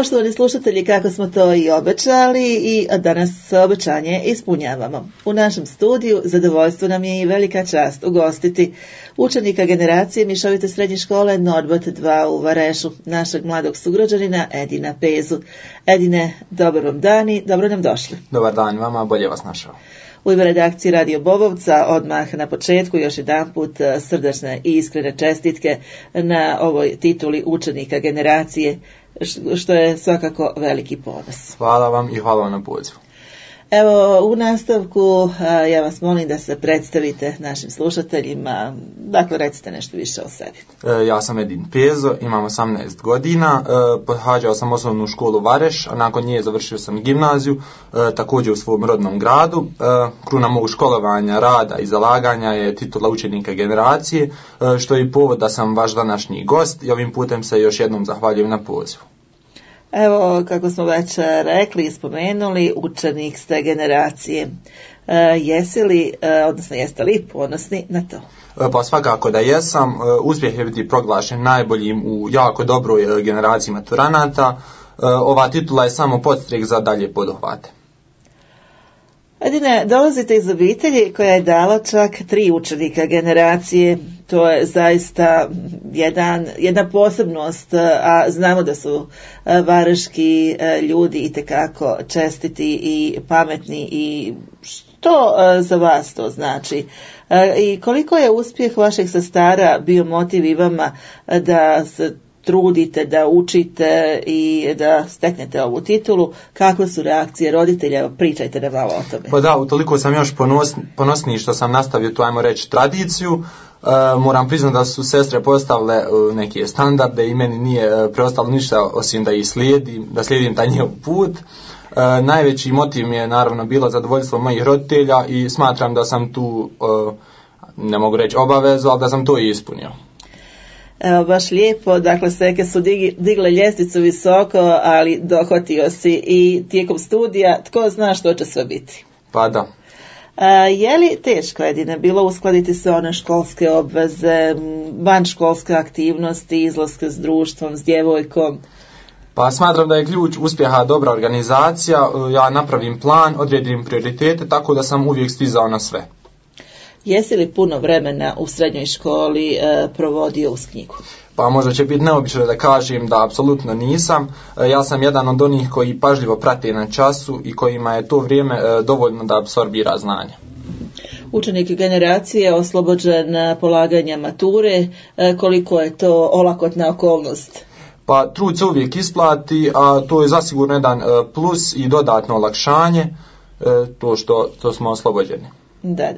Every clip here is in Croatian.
Poštovani slušatelji, kako smo to i obećali, i danas obećanje ispunjavamo. U našem studiju zadovoljstvo nam je i velika čast ugostiti učenika generacije Mišovite srednje škole Norbert 2 u Varešu, našeg mladog sugrađanina Edina Pezu. Edine, dobar vam dan i dobro nam došli. Dobar dan vama, bolje vas našao. U ime redakcije Radio Bobovca odmah na početku još jedanput srdačne i iskrene čestitke na ovoj tituli učenika generacije, što je svakako veliki ponos. Hvala vam i hvala vam na pozivu. Evo, u nastavku ja vas molim da se predstavite našim slušateljima, dakle recite nešto više o sebi. Ja sam Edin Pezo, imam 18 godina, pohađao sam osnovnu školu Vareš, a nakon nje završio sam gimnaziju, također u svom rodnom gradu. Kruna mog školovanja, rada i zalaganja je titula učenika generacije, što je i povod da sam vaš današnji gost i ovim putem se još jednom zahvaljujem na pozivu. Evo, kako smo već rekli i spomenuli, učenik ste generacije. Jeste li ponosni na to? Pa svakako da jesam. Uspjeh je biti proglašen najboljim u jako dobroj generaciji maturanata. Ova titula je samo podstrek za dalje poduhvate. Edine, dolazite iz obitelji koja je dala čak 3 učenika generacije. To je zaista jedna posebnost, a znamo da su vareški ljudi itekako čestiti i pametni. I što za vas to znači? I koliko je uspjeh vaših sestara bio motiv i vama da se trudite, da učite i da steknete ovu titulu? Kakve su reakcije roditelja? Pričajte nam malo o tome. Pa da, utoliko sam još ponosniji što sam nastavio tu, ajmo reći, tradiciju. Moram priznati da su sestre postavile neke standarde i meni nije preostalo ništa osim da ih slijedim taj njihov put. Najveći motiv mi je naravno bilo zadovoljstvo mojih roditelja i smatram da sam tu, ne mogu reći obavezu, ali da sam to i ispunio. Evo, baš lijepo, dakle seke su digle ljestvicu visoko, ali dohvatio si i tijekom studija, tko zna što će sve biti. Pa da. Je li teško, Edine, bilo uskladiti se one školske obveze, vanškolske aktivnosti, izlaske s društvom, s djevojkom? Pa smatram da je ključ uspjeha dobra organizacija. Ja napravim plan, odredim prioritete, tako da sam uvijek stizao na sve. Jesi li puno vremena u srednjoj školi provodio uz knjigu? Pa možda će biti neobično da kažem da apsolutno nisam. Ja sam jedan od onih koji pažljivo prate na času i kojima je to vrijeme dovoljno da apsorbira znanje. Učenik generacije oslobođen polaganja mature, koliko je to olakotna okolnost? Pa trud se uvijek isplati, a to je zasigurno jedan plus i dodatno olakšanje, to što smo oslobođeni. Da.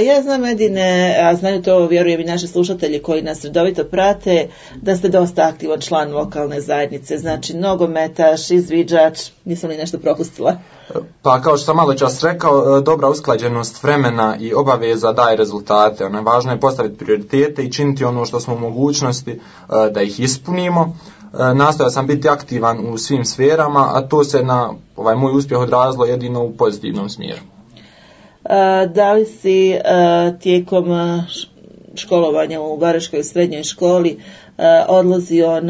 Ja znam, Edine, a znaju to, vjerujem i naši slušatelji koji nas redovito prate, da ste dosta aktivan član lokalne zajednice, znači nogometaš, izviđač, nisam li nešto propustila? Pa kao što sam malo čas rekao, dobra usklađenost vremena i obaveza daje rezultate. Važno je postaviti prioritete i činiti ono što smo u mogućnosti da ih ispunimo. Nastojao sam biti aktivan u svim sferama, a to se na ovaj moj uspjeh odrazilo jedino u pozitivnom smjeru. Da li si tijekom školovanja u Vareškoj srednjoj školi odlazio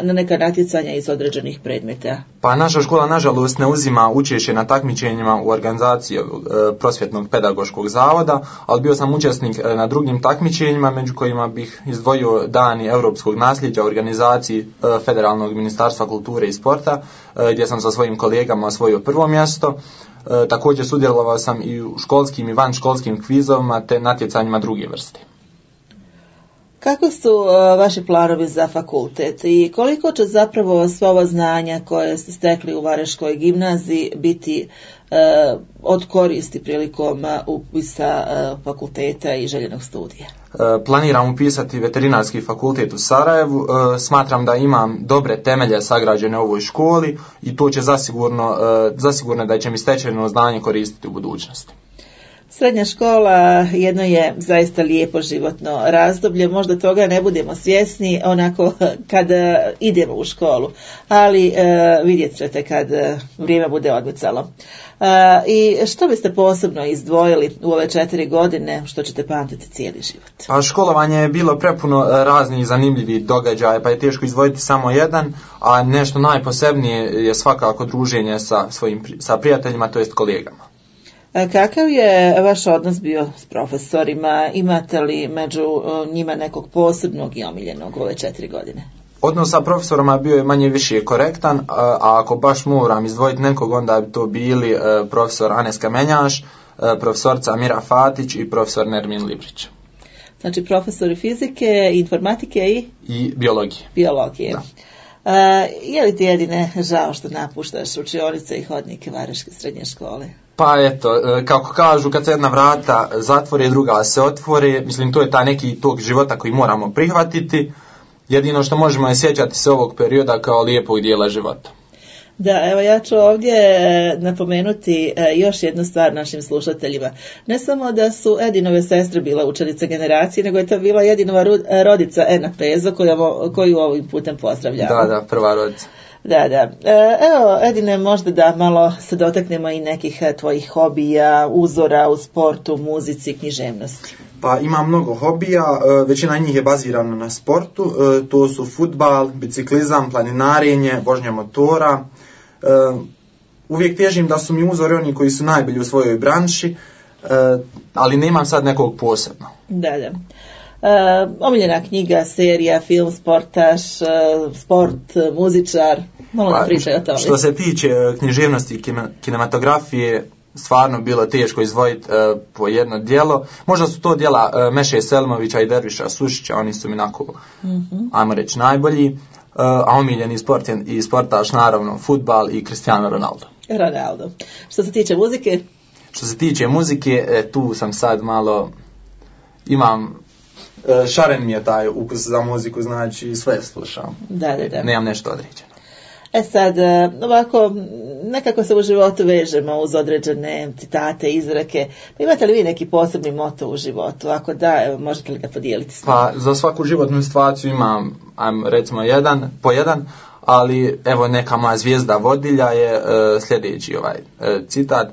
na neka natjecanja iz određenih predmeta? Pa naša škola nažalost ne uzima učešće na takmičenjima u organizaciji prosvjetnog pedagoškog zavoda, ali bio sam učesnik na drugim takmičenjima, među kojima bih izdvojio Dani europskog nasljeđa u organizaciji Federalnog ministarstva kulture i sporta, gdje sam sa svojim kolegama osvojio prvo mjesto. Također sudjelovao sam i u školskim i vanškolskim kvizovima te natjecanjima druge vrste. Kako su vaši planovi za fakultet i koliko će zapravo sva ova znanja koje ste stekli u Vareškoj gimnaziji biti od koristi prilikom upisa fakulteta i željenog studija? Planiram upisati veterinarski fakultet u Sarajevu. Smatram da imam dobre temelje sagrađene u ovoj školi i to će zasigurno da će mi stečeno znanje koristiti u budućnosti. Srednja škola jedno je zaista lijepo životno razdoblje, možda toga ne budemo svjesni onako kada idemo u školu, ali vidjet ćete kad vrijeme bude odmicalo. I što biste posebno izdvojili u ove 4 godine što ćete pamtiti cijeli život? A školovanje je bilo prepuno raznih zanimljivih događaja, pa je teško izdvojiti samo jedan, a nešto najposebnije je svakako druženje sa prijateljima, to jest kolegama. Kakav je vaš odnos bio s profesorima? Imate li među njima nekog posebnog i omiljenog u ove 4 godine? Odnos sa profesorima bio je manje više korektan, a ako baš moram izdvojiti nekog, onda bi to bili profesor Anes Kamenjaš, profesorca Mira Fatić i profesor Nermin Librić. Znači profesori fizike, informatike i biologije. Biologije. Je li ti Edine žao što napuštaš učionice i hodnike Varaždinske srednje škole? Pa eto, kako kažu, kad se jedna vrata zatvore, druga se otvore, mislim to je taj neki tog života koji moramo prihvatiti. Jedino što možemo je sjećati se ovog perioda kao lijepog dijela života. Da, evo ja ću ovdje napomenuti još jednu stvar našim slušateljima. Ne samo da su Edinove sestre bila učenice generacije, nego je to bila Edinova rodica Ena Pezo koju ovim putem pozdravljamo. Da, prva rodica. Da. Evo, Edine, možda da malo se dotaknemo i nekih tvojih hobija, uzora u sportu, muzici, književnosti. Pa imam mnogo hobija, većina njih je bazirana na sportu, to su fudbal, biciklizam, planinarenje, vožnja motora. Uvijek težim da su mi uzori oni koji su najbolji u svojoj branši, ali nemam sad nekog posebno. Da. Omiljena knjiga, serija, film, sportaš, sport, muzičar, malo nam pričaj o tome. Što se tiče književnosti i kinematografije, stvarno bilo teško izdvojiti po jedno djelo. Možda su to djela Meše Selmovića i Derviša Sušića, oni su mi onako, ajmo reći, najbolji. A omiljeni sport i sportaš naravno fudbal i Cristiano Ronaldo. Što se tiče muzike? Što se tiče muzike, tu sam sad malo, imam, šaren mi je taj ukus za muziku, znači sve slušam. Da. Nemam nešto određeno. Sad, ovako, nekako se u životu vežemo uz određene citate, izreke. Pa imate li vi neki posebni moto u životu? Ako da, evo, možete li ga podijeliti s nama? Pa za svaku životnu situaciju imam, recimo po jedan, ali evo neka moja zvijezda vodilja je sljedeći citat.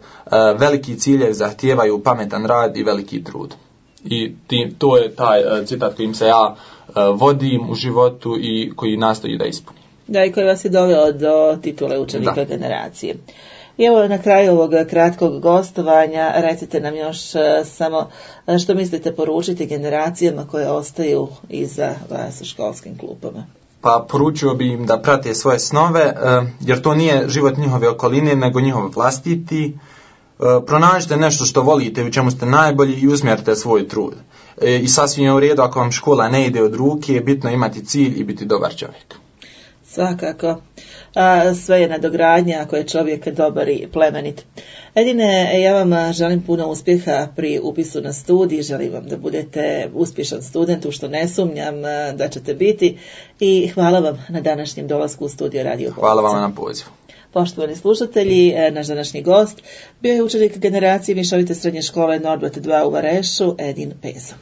Veliki ciljevi zahtijevaju pametan rad i veliki trud. I to je taj citat kojim se ja vodim u životu i koji nastoji da ispunim. Da, i koji vas je doveo do titule učenika generacije. I evo na kraju ovog kratkog gostovanja recite nam još samo što mislite poručiti generacijama koje ostaju iza vas u školskim klupama. Pa poručio bi im da prate svoje snove, jer to nije život njihove okoline, nego njihov vlastiti. Pronađite nešto što volite, u čemu ste najbolji i usmjerite svoj trud. I sasvim je u redu ako vam škola ne ide od ruke, bitno imati cilj i biti dobar čovjek. Svakako. Sve je nadogradnja ako je čovjek dobar i plemenit. Edine, ja vam želim puno uspjeha pri upisu na studij, želim vam da budete uspješan student, u što ne sumnjam da ćete biti, i hvala vam na današnjem dolasku u studio Radio Polica. Hvala vam na pozivu. Poštovani slušatelji, naš današnji gost bio je učenik generacije Mišovite srednje škole Norbert 2 u Varešu, Edin Pezo.